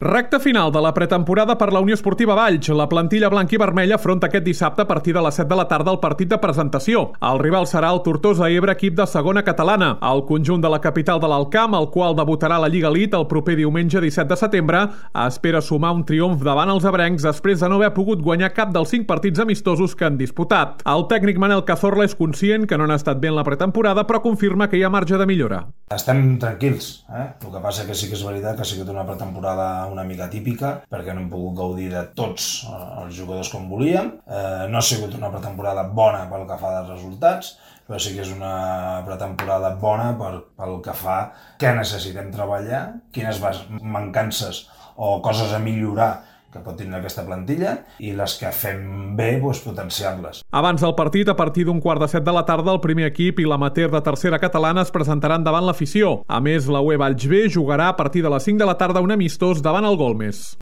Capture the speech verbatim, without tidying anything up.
Recte final de la pretemporada per la Unió Esportiva Valls. La plantilla blanca i vermella afronta aquest dissabte a partir de les set de la tarda el partit de presentació. El rival serà el Tortosa Ebre, equip de segona catalana. El conjunt de la capital de l'Alt Camp, el qual debutarà a la Lliga Elite el proper diumenge disset de setembre, espera sumar un triomf davant els ebrencs després de no haver pogut guanyar cap dels cinc partits amistosos que han disputat. El tècnic Manel Cazorla és conscient que no han estat bé en la pretemporada, però confirma que hi ha marge de millora. Estem tranquils, eh? El que passa que sí que és veritat que ha sigut una pretemporada una mica típica, perquè no hem pogut gaudir de tots els jugadors com volíem. Eh, no ha sigut una pretemporada bona pel que fa dels resultats, però sí que és una pretemporada bona per, pel que fa què necessitem treballar, quines mancances o coses a millorar que pot tenir aquesta plantilla, i les que fem bé, doncs, potenciar-les. Abans del partit, a partir d'un quart de set de la tarda, el primer equip i l'amateur de tercera catalana es presentaran davant l'afició. A més, la U E Valls B jugarà a partir de les cinc de la tarda un amistós davant el Golmes.